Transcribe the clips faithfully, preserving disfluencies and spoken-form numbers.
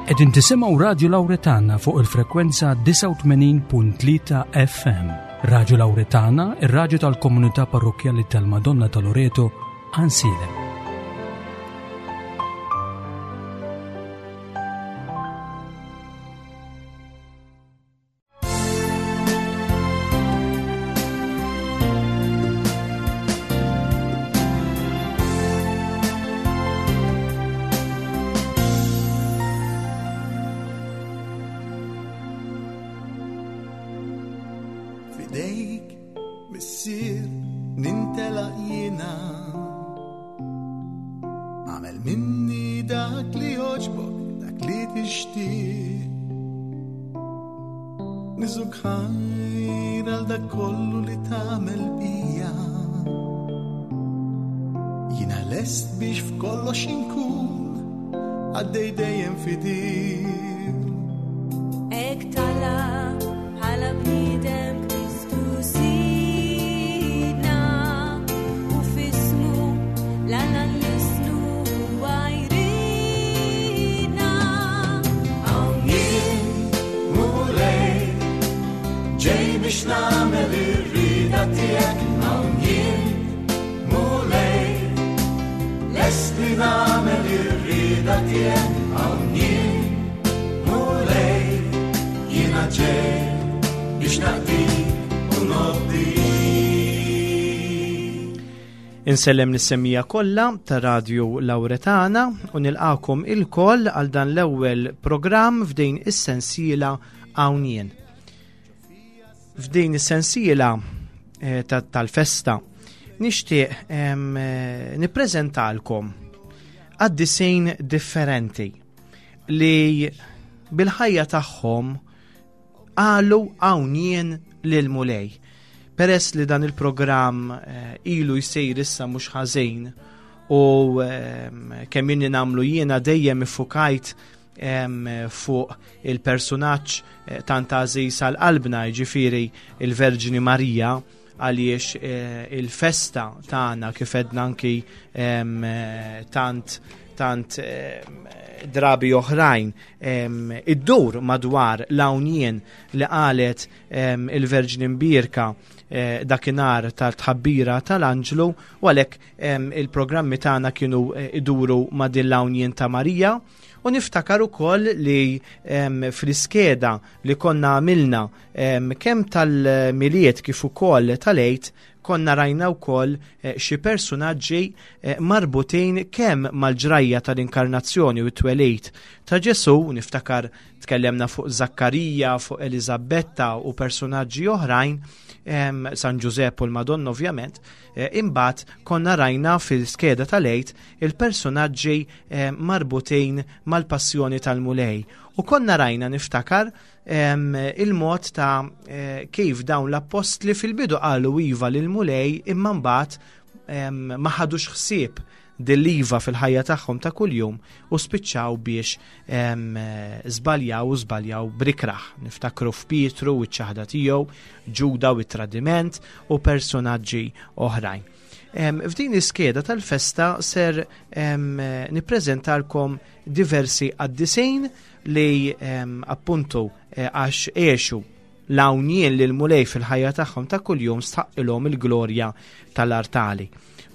Qegħdin tisimgħu Radio Lauretana fuq il-frekwenza disgħa u tmenin punt tlieta F M. Radio Lauretana, ir-radju tal-Komunità Parrokkjali tal-Madonna ta' Loreto, Għajnsielem. F'idejk, Missier, nintelaq jiena. Agħmel minni dak li jogħġbok, dak li tixtieq. Niżżuk ħajr għal dak kollu li tagħmel bija. Jiena lest biex f'kollox inkun għaddej dejjem fidil. Hekk talab bħala bniedem Kristu Sidna u f'ismu 'l Alla nlissnu huwa jridna. Hawn jien, Mulej, ġej biex nagħmel ir-rieda tiegħek. Hawn jien, Mulej, lest li nagħmel ir-rieda tiegħek. Hawn jien, Mulej, jiena ġej biex naqdik u nobdik. Insellem lis-semmiegħa kollha ta' Radio Lauretana u nilqakom ilkoll għal dan l-ewwel programm f'din is-sensiela Hawn Jien. F'din is-sensiela eh, ta- tal-festa nixtieq em, eh, nippreżentalkom qaddisin differenti li bil-ħajja tagħhom qalu hawn jien lil Mulej. Peress li dan il-programm eh, ilu jsir issa mhux ħażin u ehm, kemm inni nagħmlu jiena dejjem iffukajt em, fuq il-personaġġ eh, tant għażiż għal qalbna, jiġifieri il-Verġni Marija, għaliex eh, il-festa tagħna, kif għedna anki em, eh, tant tant em, drabi oħrajn, em, iddur madwar l-hawn jien li qalet em, il-Verġni Mbierka eh, dakinhar tal-tħabbira tal-Anġlu, u għalhekk em, il-programmi tagħna kienu eh, iduru ma' din l-hawn jien ta' Marija. U niftakar ukoll li em, fl-iskeda li konna għamilna em, kemm tal-Milied kif ukoll tal-Għid, konna rajna wkoll eh, xi personaġġi eh, marbutin kemm mal-ġrajja tal-inkarnazzjoni u t-twelid ta' Ġesu. Niftakar tkellemna fuq Zakkarija, fuq Eliżabetta u personaġġi oħrajn, em, San Ġużepp u l-Madonna ovvjament, eh, imbagħad konna rajna fil-skeda tal-Għid il-personaġġi eh, marbutin mal-passjoni tal-Mulej. U konna rajna, niftakar, em, il-mod ta' eh, kif dawn l-appostli fil-bidu qalu iva lil-Mulej, imma mbagħad em, ma ħadux ħsieb dil-iva fil-ħajja tagħhom ta' kuljum u spiċċaw biex em, żbaljaw u żbaljaw bl-ikrah. Niftakru f'Pietru u ċ-ċaħda tiegħu, Ġuda u t-tradiment u personaġġi oħrajn. Em, F'din iskeda tal-festa ser em, nippreżentalkom diversi qaddisin li em, appuntu eh, għax għexu l-hawn jien lil Mulej fil-ħajja tagħhom ta' kuljum stħaqqilhom il-glorja tal-artali.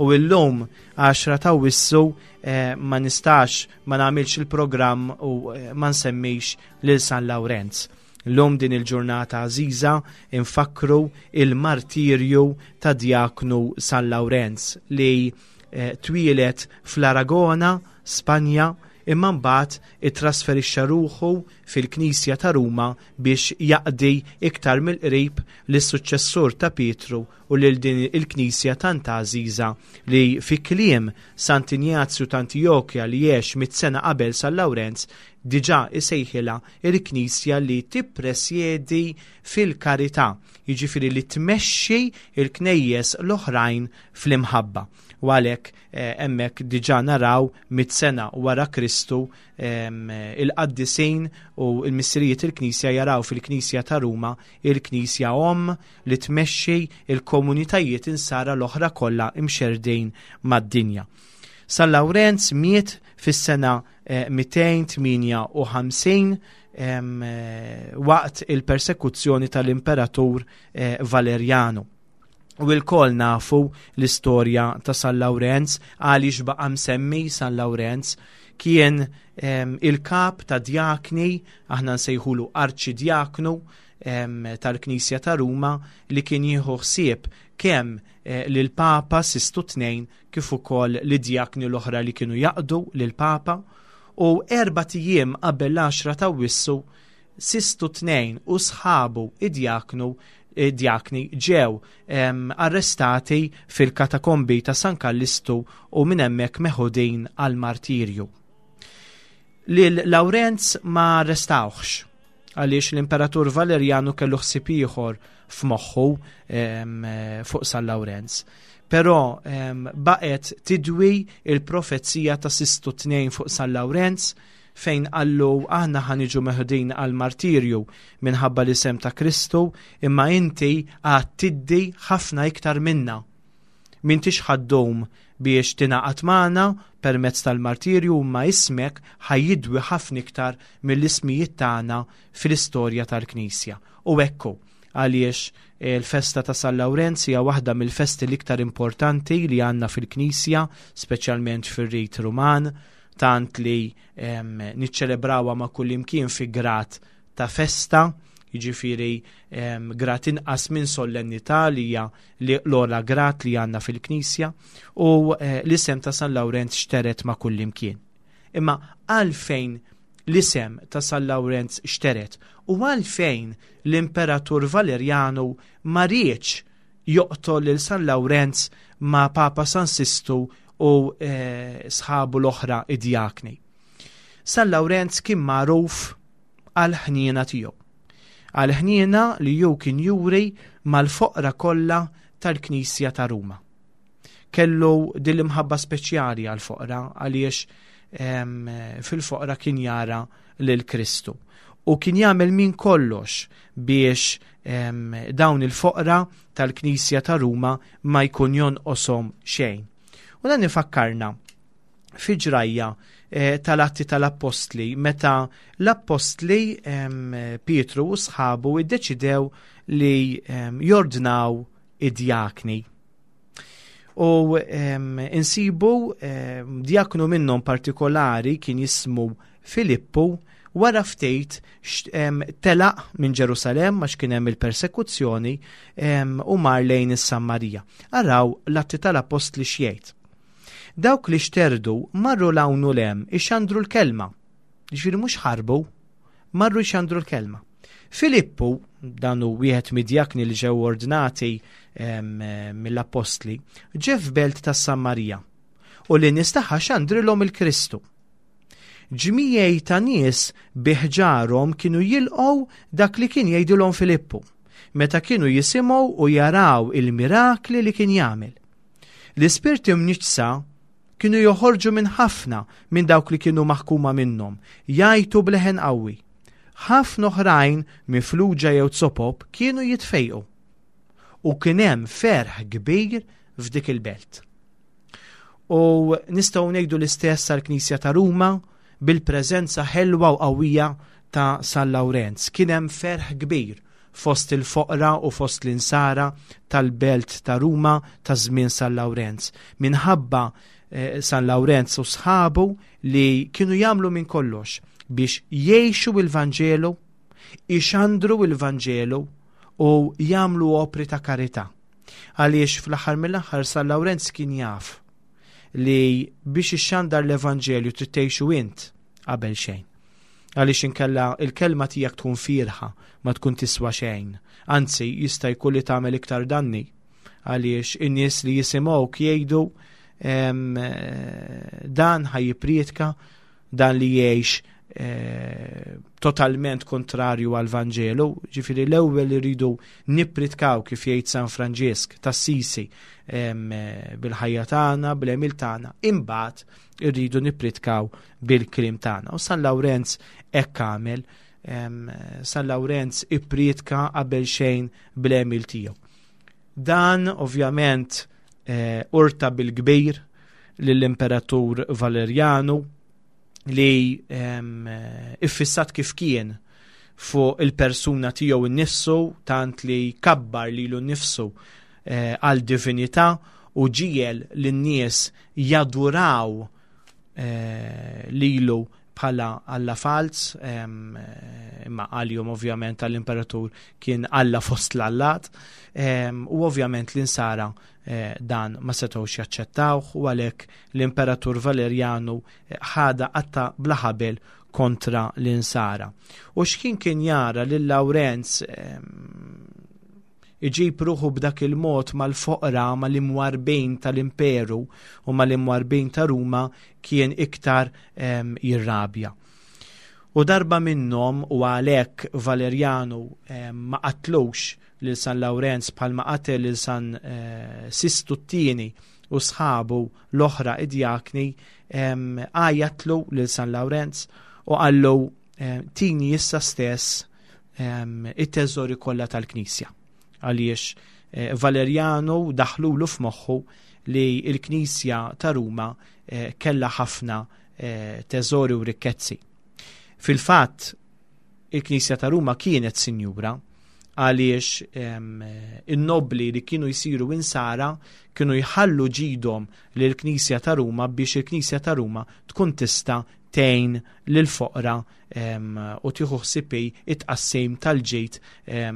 U illum għaxra ta' Awwissu eh, ma nistax ma nagħmilx il-programm u eh, ma nsemmix lil San Lawrenz. Illum, din il-ġurnata għażiża, infakru il-martirju ta' Djaknu San Lawrenz li eh, twieled fl-Aragona, Spanja, imma mbagħad ittrasferixxa ruħu fil-Knisja ta' Ruma biex jaqdi iktar mill-qrib lis-suċċessur ta' Pietru u lil din il-Knisja tant għażiża li fi kliem Sant'Injazju ta' Antijokja, li għex mitt sena qabel San Lawrenz, diġà isejħilha il-Knisja li tippresjedi fil-karità, jiġifieri li tmexxi il-knejjes l-oħrajn fl-imħabba. U għalhekk eh, hemmhekk diġà naraw mitt sena wara Kristu em, il-qaddisin u il-missirijiet il-Knisja jaraw fil-Knisja ta' Ruma il-Knisja omm li tmexxi il-komunitajiet insara l-oħra kollha imxerdin mad-dinja. San Lawrenz miet fis-sena mitejn u tmienja u ħamsin waqt il-persekuzzjoni tal-imperatur Valeriano. U lkoll nafu l-istorja ta' San Lawrenz, għaliex baqa' msemmi San Lawrenz. Kien il-kap ta' djakni, aħna nsejħulu arċidjaknu tal-Knisja ta' Ruma, li kien jieħu ħsieb kemm eh, lil-Papa Sistu Tnejn kif ukoll lid-djakni l-oħra li kienu jaqdu lil-Papa. U erbat ijiem qabel l-għaxra ta' Awwissu, Sistu Tnejn u sħabu id-djaknu djakni ġew arrestati fil-katakombi ta' San Kallistu u minn hemmhekk meħudin għal martirju. Lil Lawrenz ma arrestawhx għaliex l-imperatur Valeriano kellu ħsieb ieħor f'moħħu fuq San Lawrenz. Però baqgħet tidwi il-profezija ta' Sistu Tnejn fuq San Lawrenz, fejn qallu: "Aħna ħa niġu meħudin għal martirju minħabba l-isem ta' Kristu, imma inti għad tiddi ħafna iktar minna. M'intix ħa ddum biex tingħaqad magħna permezz tal-martirju, imma ismek ħa jidwi ħafna iktar mill-ismijiet tagħna fil-istorja tal-Knisja." U ekku għaliex il-festa ta' San Lawrenz hija waħda mill-festi l-iktar importanti li għandna fil-Knisja, speċjalment fir-Rit Ruman, tant li niċċelebrawha ma' kullimkien fi grad ta' festa, jiġifieri grad inqas minn solennità, li hija l-ogħla grad li għandna fil-Knisja, u eh, l-isem ta' San Lawrenz xteret ma' kullimkien. Imma għalfejn l-isem ta' San Lawrenz xteret u għalfejn l-imperatur Valeriano ma riedx joqtol lil San Lawrenz ma' Papa San Sistu u eh, sħabu l-oħra id-djakni? San Lawrenz kien magħruf għal-ħniena tiegħu, għal-ħniena li ju kien juri mal-foqra kollha tal-Knisja ta' Ruma. Kellu din l-imħabba speċjali għal-foqra għaliex fil-foqra kien jara lil Kristu. U kien jagħmel minn kollox biex dawn il-foqra tal-Knisja ta' Ruma ma jkun jonqoshom xejn. U dan ifakkarna fi ġrajja eh, tal-Atti tal-Appostli, meta l-Appostli Pietru u sħabu iddeċidew li jordnaw id-djakni. U insibu djaknu minnhom partikolari kien jismu Filippu, wara ftit telaq minn Ġerusalem għax kien hemm il-persekuzzjoni u mar lejn is-Sammarija. Araw l-Atti tal-Appostli x'jgħid. "Dawk li xterdu marru 'l hawn u 'l hemm ixandru l-kelma." Ġifieri mhux ħarbu, marru jxandru l-kelma. "Filippu, dan hu wieħed mid-djakni li ġew ordnati mill-appostli, ġie f'belt tas-Sammarija u lin-nies tagħha xandrilhom il-Kristu. Ġmijiet ta' nies bi ħġarhom kienu jilqgħu dak li kien jgħidilhom Filippu, meta kienu jisimgħu u jaraw il-mirakli li kien jagħmel. L-ispirti mniġġsa kienu joħorġu minn ħafna minn dawk li kienu maħkuma minnhom, jgħajtu b'leħen qawwi. Ħafna oħrajn mifluġa jew zopop kienu jitfejqu. U kien hemm ferħ kbir f'dik il-belt." U nistgħu ngħidu l-istess għall-Knisja ta' Ruma bil-preżenza ħelwa u qawwija ta' San Lawrenz. Kien hemm ferħ kbir fost il-foqra u fost l-insara tal-belt ta' Ruma ta' żmien San Lawrenz, minħabba eh, San Lawrenz u sħabu li kienu jagħmlu minn kollox biex jgħixu il-Vanġelu, ixandru il-Vanġelu u jagħmlu opri ta' karità. Għaliex fl-aħħar mill-aħħar San Lawrenz kien jaf li biex ixxandar l-Evanġelju trid tgħixu int qabel xejn. Għaliex inkella il-kelma tiegħek tkun fiergħa, ma tkun tiswa xejn. Anzi, jista' jkun li tagħmel iktar danni, għaliex in-nies li jisimgħuk jgħidu: "Dan ħa jippriedka, dan li jgħix eh, totalment kontrarju għal Vanġelu." Ġifieri l-ewwel iridu nippritkaw, kif jgħid San Franġisk t'Assisi, bil-ħajja tagħna, bl-għemil tagħna, imbagħad irridu nippritkaw bil-kliem tagħna. U San Lawrenz hekk għamel. San Lawrenz ippriedka qabel xejn bl-għemil tiegħu. Dan ovvjament eh, urta bil-kbir lill-Imperatur Valerjanu li iffissat kif kien fuq il-persuna tiegħu nnifsu, tant li kabbar lilu nnifsu eh, għal divinità u ġiegħel lin-nies jaduraw eh, lilu bħala alla falz, imma għalihom ovvjament għall-imperatur kien alla fost l-allat, u ovvjament l-insara eh, dan ma setgħux jaċċettawh u għalhekk l-imperatur Valerjanu ħadha qatta bla ħabel kontra l-insara. U x'kien kien jara lil Lawrenz iġib ruħu b'dak il-mod mal-foqra, mal-imwarbin tal-imperu u mal-imwarbin ta' Ruma, kien iktar jirrabja. U darba minnhom, u għalhekk Valerjanu ma qatlux lil San Lawrenz bħalma qatel lil San eh, Sistu t-tieni u sħabu l-oħra id-djakni, għajjatlu lil San Lawrenz u qallu, "Tini issa stess it-teżori kollha tal-Knisja." Għaliex eh, Valerjanu daħlulu f'moħħu li l-Knisja ta' Ruma eh, kella ħafna eh, teżori u rikkezzi. Fil-fatt, il-Knisja ta' Ruma kienet sinjura għaliex in-nobli li kienu jsiru insara kienu jħallu ġidhom lill-Knisja ta' Ruma biex il-Knisja ta' Ruma tkun tista' tgħin lill-foqra u tieħu ħsieb it-tqassim tal-ġid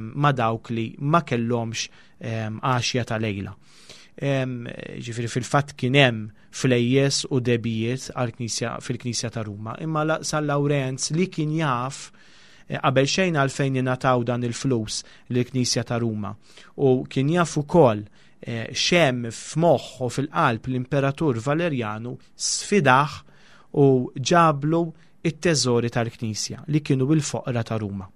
ma' dawk li ma kellhomx għaxja ta' lejla. Ġifieri fil-fatt kien hemm flejjes u dehbijiet għall-Knisja fil-Knisja ta' Ruma, imma San Lawrenz li kien jaf eh, qabel xejn għalfejn ingħataw dan il-flus lill-Knisja ta' Ruma u kien jaf ukoll eh, x'hemm f'moħħ u fil-qalb l-Imperatur Valerjanu, sfidah u ġablu it-teżori tal-Knisja li kienu il-foqra ta' Ruma.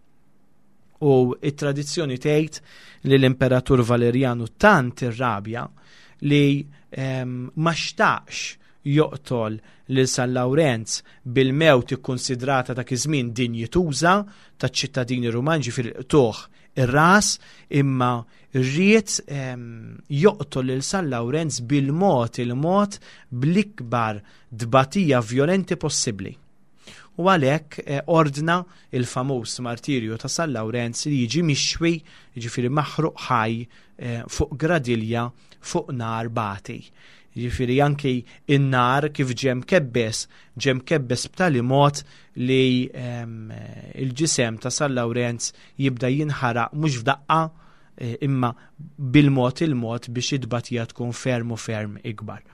U it-tradizzjoni tgħid li l-Imperatur Valerjanu tant irrabja li ma xtaqx joqtol lil San Lawrenz bil-mewt ikkonsidrata dak iż-żmien dinjituża taċ-ċittadini Rumani, ġifieri qtugħ ir-ras, imma ried joqtol lil San Lawrenz bil-mod il-mod, bl-ikbar dbatija vjolenti possibbli. U għalhekk eh, ordna il-famuż martirju ta' San Lawrenz li jiġi mixwi, ġifieri maħruq ħaj eh, fuq gradilja fuq nar bati. Ġifieri anki in-nar kif ġie mkebbes, ġie mkebbes b'tali mod li il-ġisem ta' San Lawrenz jibda jinħaraq mhux f'daqqa eh, imma bil-mod il-mod biex id-batija tkun ferm u ferm ikbar.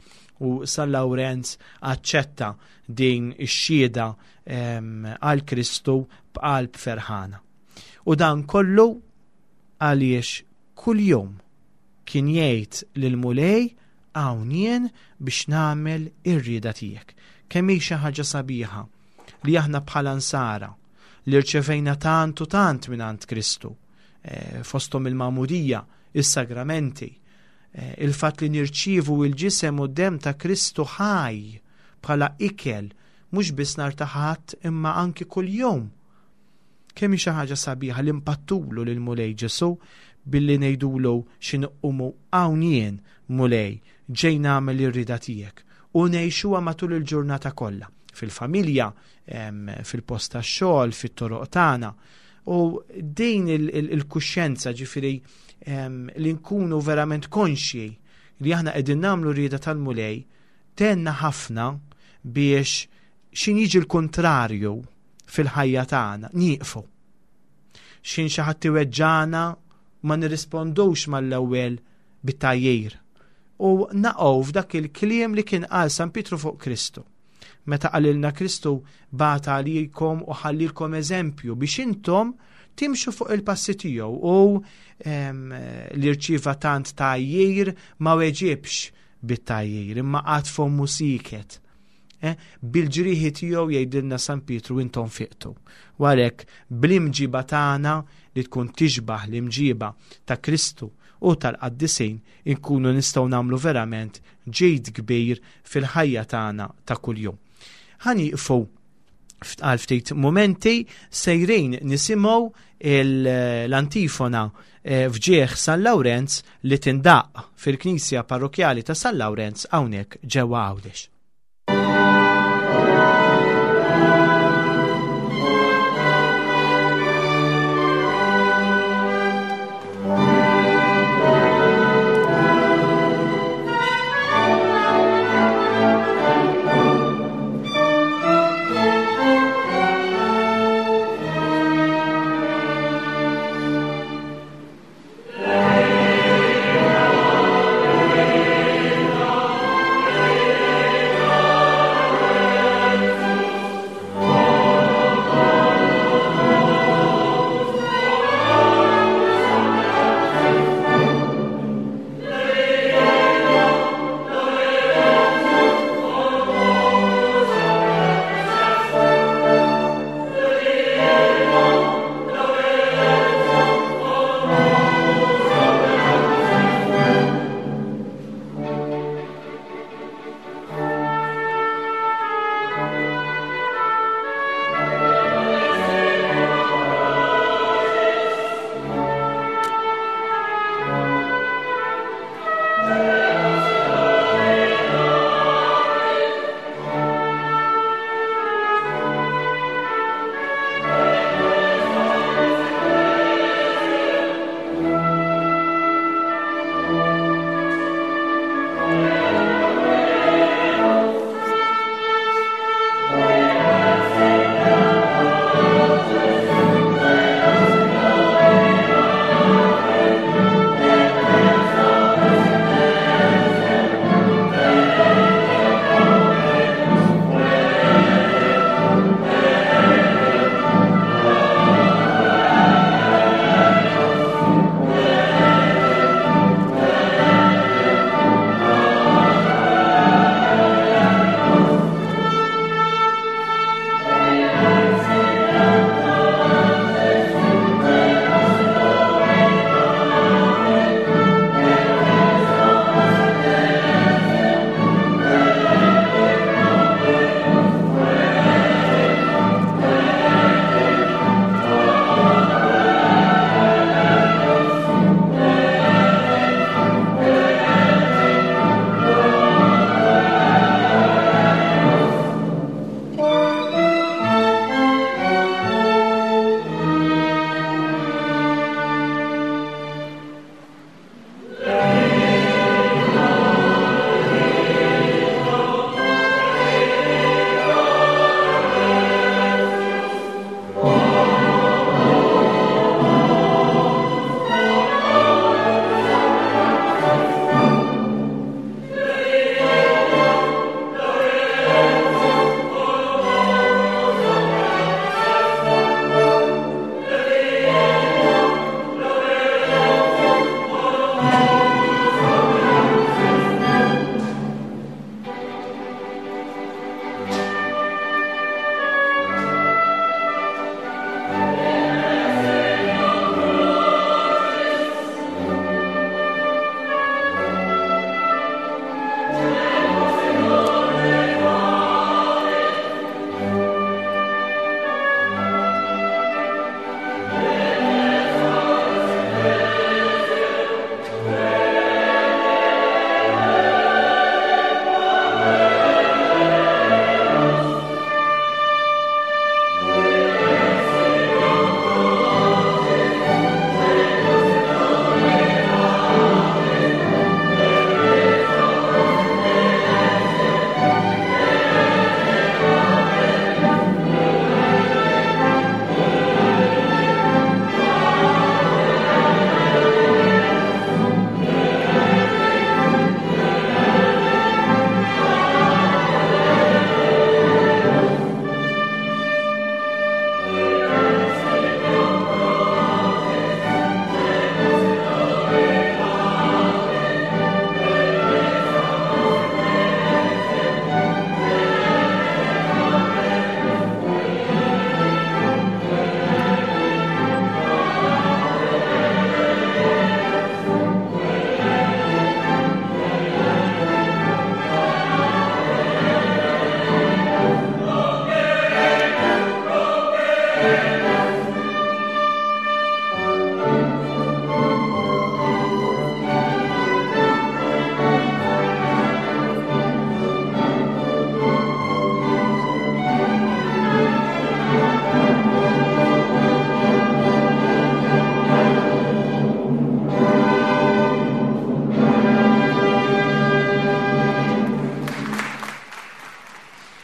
U San Lawrenz aċċetta din ix-xhieda għal Kristu b'qalb ferħana. U dan kollu għaliex kuljum kien jgħid lill-Mulej, "Hawn jien biex nagħmel ir-rieda tiegħek." Kemm hi xi ħaġa sabiħa li aħna bħala nsara li rċevejna tant u tant minn Kristu, eh, fosthom il-magħmudija, is-sagramenti, eh, il-fatt li nirċievu il-ġisem u d-dem ta' Kristu ħaj bħala ikel mhux biss nhar ta' Ħadd imma anki kuljum. Kemm hi xi ħaġa sabiħa li npattulu lil Mulej Ġesu billi ngħidulu x'inqumu, "Hawn jien, Mulej, ġej nagħmel ir-rieda tiegħek," u ngħixuha matul il-ġurnata kollha fil-familja, fil-post tax-xogħol, fit-toroq tagħna. U din il-kuxjenza, ġifieri li nkunu verament konxji li aħna qegħdin nagħmlu rieda tal-Mulej, tgħinna ħafna biex x'ħin jiġi l-kontrarju fil-ħajja tagħna nieqfu. X'ħin xi ħadd iweġġana ma nirrispondux mal-ewwel bit-tgħajjir. U naqgħu f'dak il-kliem li kien qal San Pietru fuq Kristu. Meta qalilna Kristu bata għalikom u ħallielkom eżempju biex intom timxu fuq il-passi tiegħu, u li rċieva tant tgħajjir ma weġibx bit-tgħajjir imma qagħad fommu sieket. Eh, bil-ġrieħi tiegħu, jgħidilna San Pietru, intom fiqtu. U għalhekk bl-imġiba tagħna li tkun tixbaħ l-imġiba ta' Kristu u tal-qaddisin inkunu nistgħu nagħmlu verament ġid kbir fil-ħajja tagħna ta' kuljum. Ħa nieqfu għal ftit momenti, sejrin nisimgħu l-antifona. eh, f'ġieħ San Lawrenz li tindaq fil-Knisja Parrokjali ta' San Lawrenz hawnhekk ġewwa Għawdex. Thank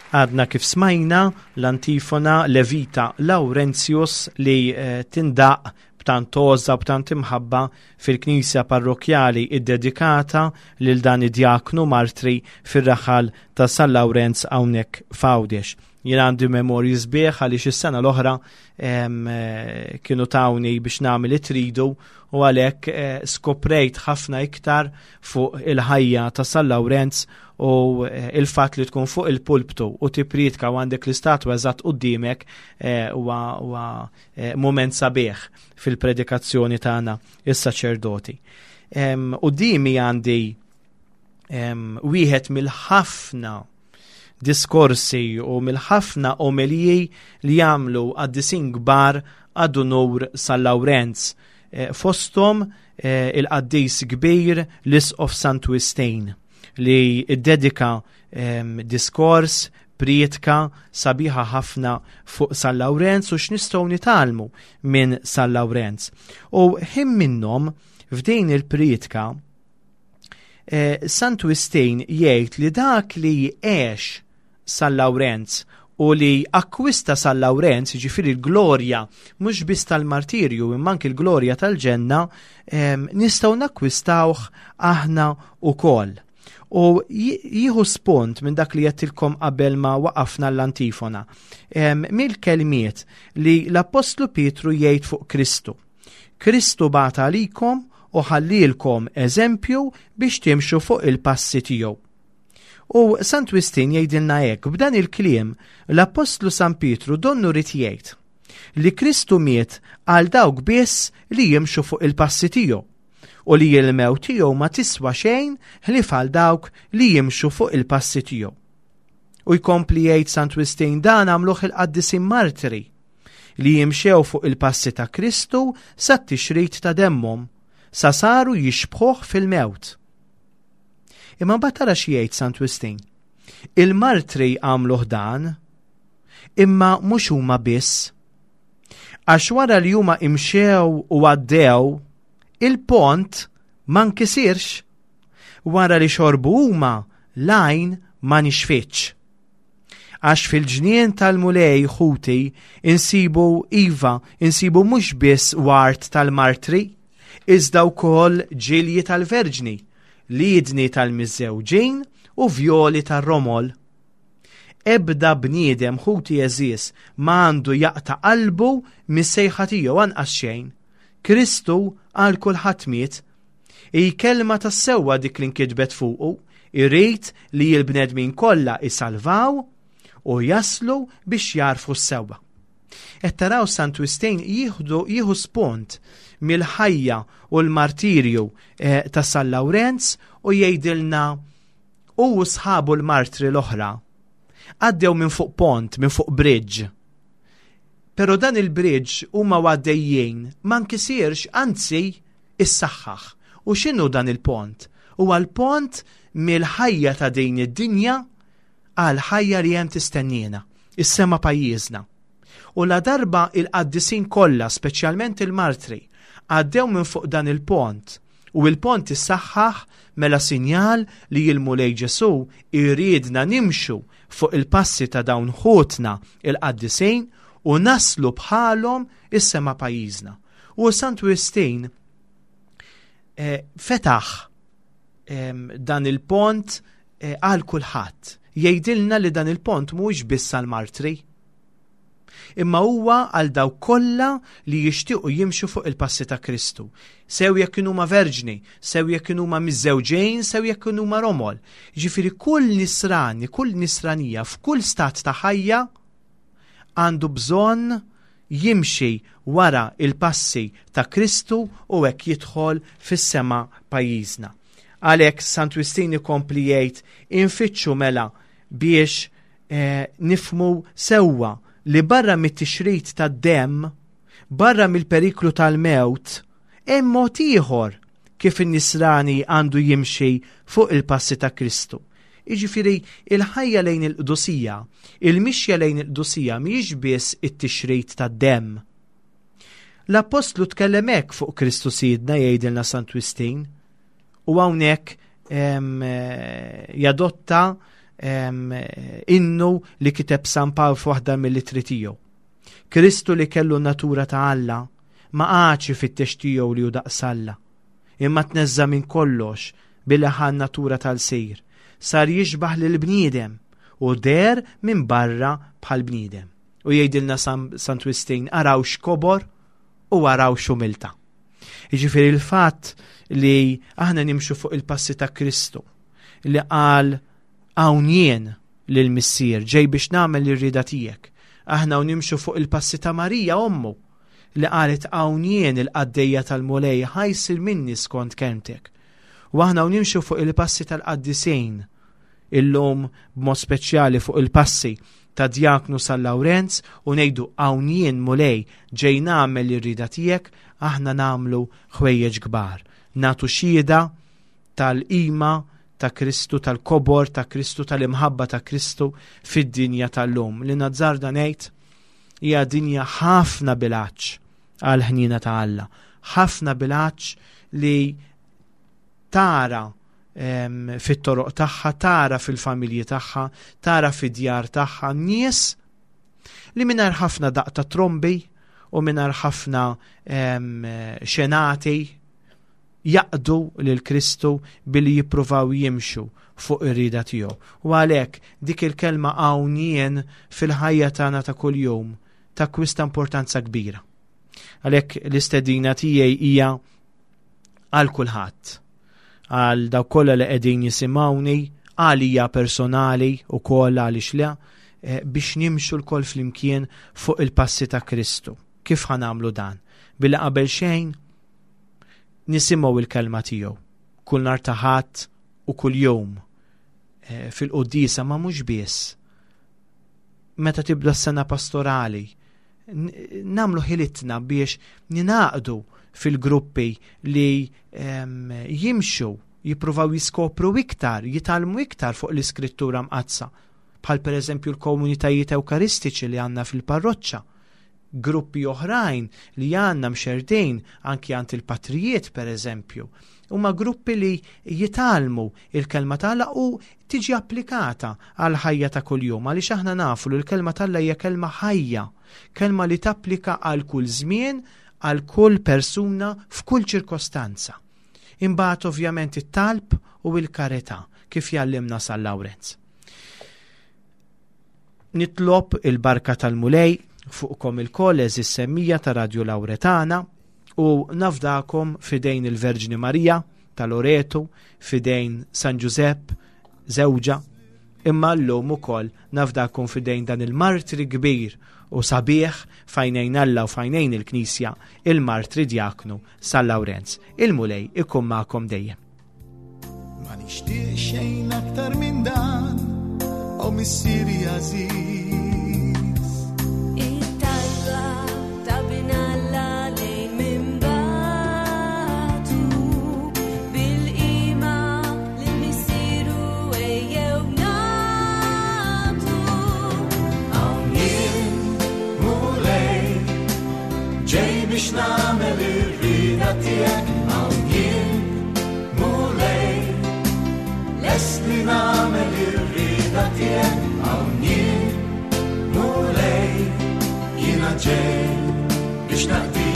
Għadna kif smajna l-antifona Levita Laurentius li eh, tindaq b'tant għożża, b'tant imħabba fil-knisja parrokjali iddedikata lil dan id-djaknu martri fir-raħal ta' San Lawrenz hawnhekk f'Għawdex. Jien għandi memorji sbieħ għaliex is-sena l-oħra eh, kienu tawni biex nagħmel it-tridu u għalhekk eh, skoprejt ħafna iktar fuq il-ħajja ta' San Lawrenz u eh, il-fatt li tkun fuq il-pulptu u tippriedka u għandek l-istatwa eżatt quddiemek huwa moment sabiħ fil-predikazzjoni tagħna is-saċerdoti. Quddiemi għandi wieħed mill-ħafna diskorsi u mill-ħafna omeliji li jagħmlu qaddisin kbar ad unur San Lawrenz. Eh, fosthom eh, il-qaddis kbir l-Isqof Sant Wistin li iddedika diskors, prietka sabiħa ħafna fuq San Lawrenz u x'nistgħu nitgħallmu minn San Lawrenz. U ħin minnhom f'din il-prietka eh, Sant Wistin jgħid li dak li għex San Lawrenz u li akkwista San Lawrenz, ġifieri l-glorja mhux biss tal-martirju imma anki l-glorja tal-ġenna, nistgħu nakkwistawh aħna wkoll. U jieħu spunt minn dak li għedtilkom qabel ma waqafna l-antifona. Mill-kelmiet li l-Apostlu Pietru jgħid fuq Kristu. Kristu bata għalikom u ħallielkom eżempju biex timxu fuq il-passi tiegħu. U Sant Wistin jgħidilna hekk, b'dan il-kliem l-Apostlu San Pietru donnu ried jgħid li Kristu miet għal dawk biss li jimxu fuq il-passi tiegħu u li l-mewt tiegħu ma tiswa xejn ħlief għal dawk li jimxu fuq il-passi tiegħu. U jkompli jgħid Sant Wistin dan għamluh il-qaddisin martri li jimxew fuq il-passi ta' Kristu sa t-tixrid ta' demmhom, sa saru jixbħuh fil-mewt. Imma mbagħad tara xi jgħid Sant Wistin. Il-martri għamluh dan, imma mhux huma biss. Għax wara li huma imxew u għaddew, il-pont ma nkisirx. Wara li xorbu huma, l-għajn ma nixfitx. Għax fil-ġnien tal-Mulej ħuti insibu iva, insibu mhux biss ward tal-martri, iżda wkoll ġilji tal-verġni, liedni tal-miżżewġin u vjoli tar-romol. Ebda bniedem ħuti għeżież ma għandu jaqta' qalbu mis-sejħa tiegħu anqas xejn. Kristu għal kulħadd miet. Hi kelma tas-sewwa dik li nkitbet fuqu, irid li l-bnedmin kollha isalvaw u jaslu biex jarfu s-sewwa. Qed taraw Sant Wistin jieħdu jieħu spunt mill-ħajja u l-martirju eh, ta' San Lawrenz u jgħidilna u sħabu l-martri l-oħra għaddew minn fuq pont, minn fuq bridge. Pero dan il-bridge huma għaddejjin ma nkisirx, anzi issaħħaħ. U x'inhu dan il-pont? Huwa l-pont mill-ħajja ta' din id-dinja għal ħajja li hemm tistennina, is-sema pajjiżna. U la darba il-qaddisin kollha, speċjalment il-martri, għaddew minn fuq dan il-pont u il-pont issaħħaħ mela sinjal li l-Mulej Ġesu iridna nimxu fuq il-passi ta' dawn ħutna il-qaddisin u naslu bħalhom is-sema pajjiżna. U Sant Wistin eh, fetaħ eh, dan il-pont eh, għal kulħadd. Jgħidilna li dan il-pont mhuwiex biss għall-martri, imma huwa għal dawk kollha li jixtiequ jimxu fuq il-passi ta' Kristu. Sew jekk kienu ma' verġni, sew jekk kienu ma' miżżewġejn, sew jekk kienu ma' romol. Ġifieri kull nisrani, kull nisranija f'kull stat ta' ħajja għandu bżonn jimxi wara il-passi ta' Kristu u hekk jidħol fis-sema pajjiżna. Għalhekk Sant Wistin ikompli jgħid infittxu mela biex eh, nifmu sewwa li barra mit-tixrid tad-demm, barra mill-periklu tal-mewt, hemm mod ieħor kif in-nisrani għandu jimxi fuq il-passi ta' Kristu. Jiġifieri il-ħajja lejn il-qdusija, il-mixja lejn il-qdusija mhijiex biss it-tixrid tad-demm. L-Apostlu tkellem hekk fuq Kristu Sidna, jgħidilna Sant Wistin, u hawnhekk jadotta innu li kiteb San Pawl f'waħda mill-ittri tiegħu. Kristu li kellu natura ta' Alla ma qagħadx ifittex tiegħu li hu daqs Alla, imma tneżża minn kollox billi ħa natura tal-sir, sar jixbaħ lil bniedem u der minn barra bħal bniedem. U jgħidilna Sant Wistin, araw x'kobor u araw x'umilta. Jiġifieri il-fatt li aħna nimxu fuq il-passi ta' Kristu li qal hawn jien lill-Missier ġej biex nagħmel ir-rieda tiegħek. Aħna u nimxu fuq il-passi ta' Marija ommu li qalet hawn jien il-qaddejja tal-Mulej ħa jsir minni skont kelmtek. U aħna u nimxu fuq il-passi tal-qaddisin illum b'mod speċjali fuq il-passi ta' Djaknu San Lawrenz u ngħidu hawn jien Mulej ġej nagħmel ir-rieda tiegħek, aħna nagħmlu ħwejjeġ kbar. Nagħtu xhieda tal-qima ta' Kristu, tal-kobor ta' Kristu, tal-imħabba ta' Kristu fid-dinja tal-lum. Li nazzarda ngħid hija dinja ħafna bil-għatx għal-ħnina ta' Alla, ħafna bil-għatx li tara fit-toroq tagħha, tara fil-familji tagħha, tara fid-djar tagħha nies li mingħajr ħafna daqq ta' trombi u mingħajr ħafna xenati jaqdu lil Kristu billi jippruvaw jimxu fuq ir-rieda tiegħu. U għalhekk dik il-kelma hawn jien fil-ħajja tagħna ta' kuljum takkwista importanza kbira. Għalhekk l-istedina tiegħi hija għal kulħadd, għal dawk kollha li qegħdin jisimgħuni, għalija personali u koll għaliex le, biex nimxu lkoll flimkien fuq il-passi ta' Kristu. Kif ħa nagħmlu dan? Billi qabel xejn nisimgħu il-kelma tiegħu kull nhar ta' Ħadd u kull jum fil-quddiesa, ma mhux biss. Meta tibda s-sena pastorali, nagħmlu ħilitna biex ninaqdu fil-gruppi li jimxu, jippruvaw jiskopru iktar, jitgħallmu iktar fuq l-Iskrittura Mqaddsa, bħal per eżempju l-komunitajiet ewkaristiċi li għandna fil-parroċċa, gruppi oħrajn li għandna mxerdin anki għand il-patrijiet per eżempju. Huma gruppi li jitgħallmu il-kelma ta' Alla u tiġi applikata għal ħajja ta' kuljum, għaliex aħna nafu li l-kelma ta' Alla hija kelma ħajja, kelma li tapplika għal kull żmien, għal kull persuna, f'kull ċirkostanza. Imbagħad ovvjament it-talb u l-karità kif jgħallimna San Lawrenz. Nitlob il-barka tal-Mulej fuqkom il-koll eżis semmija ta' Radio Lauretana u nafdakom fidejn il-Verġni Marija ta' Loreto, fidejn San Ġużepp, żewġa, imma llum ukoll nafdakom fidejn dan il-martri kbir u sabiħ fajnejn Alla u fajnejn il-Knisja, il-martri Djaknu San Lawrenz. Il-Mulej ikun magħkom dejjem. Ma nixtieq xejn aktar minn dan, o Missieri għażiż. It-talba ta' bin Alla lejn minn batu, bil-qima lil Missieru ejjew nagħtu. Hawn jien, Mulej, ġej biex nagħmel ir-rieda tiegħek. Hawn jien, Mulej, lest li nagħmel ir-rieda tiegħek. Hawn jien, Mulej, jiena ġej biex naqdi.